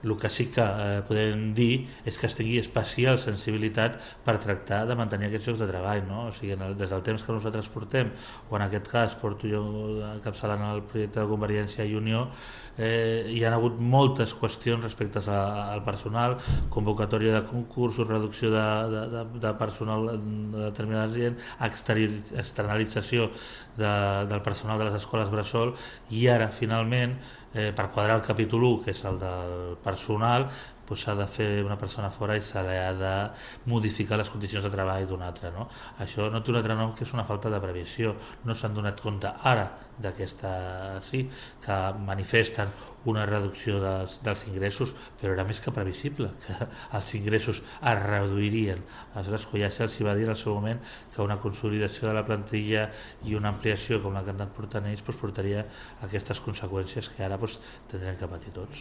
El que sí que podem dir és que es tingui especial sensibilitat per tractar de mantenir aquests llocs de treball, no? O sigui, des del temps que nosaltres portem, o en aquest cas porto jo encapçalant el projecte de Convergència i Unió, hi ha hagut moltes qüestions respecte al personal, convocatòria de concursos, reducció de personal de determinada gent, externalització del personal de les escoles bressol, i ara finalment per quadrar el capítol 1, que és el del personal, doncs s'ha de fer una persona fora i se li ha de modificar les condicions de treball d'una altra, no? Això no té un altre nom que és una falta de previsió. No s'han donat compte ara d'aquesta, sí, que manifesten una reducció dels ingressos, però era més que previsible que els ingressos es reduirien. Aleshores, ja se'ls va dir en el seu moment que una consolidació de la plantilla i una ampliació com la que han anat portant ells doncs portaria aquestes conseqüències que ara doncs, tindrem que patir tots.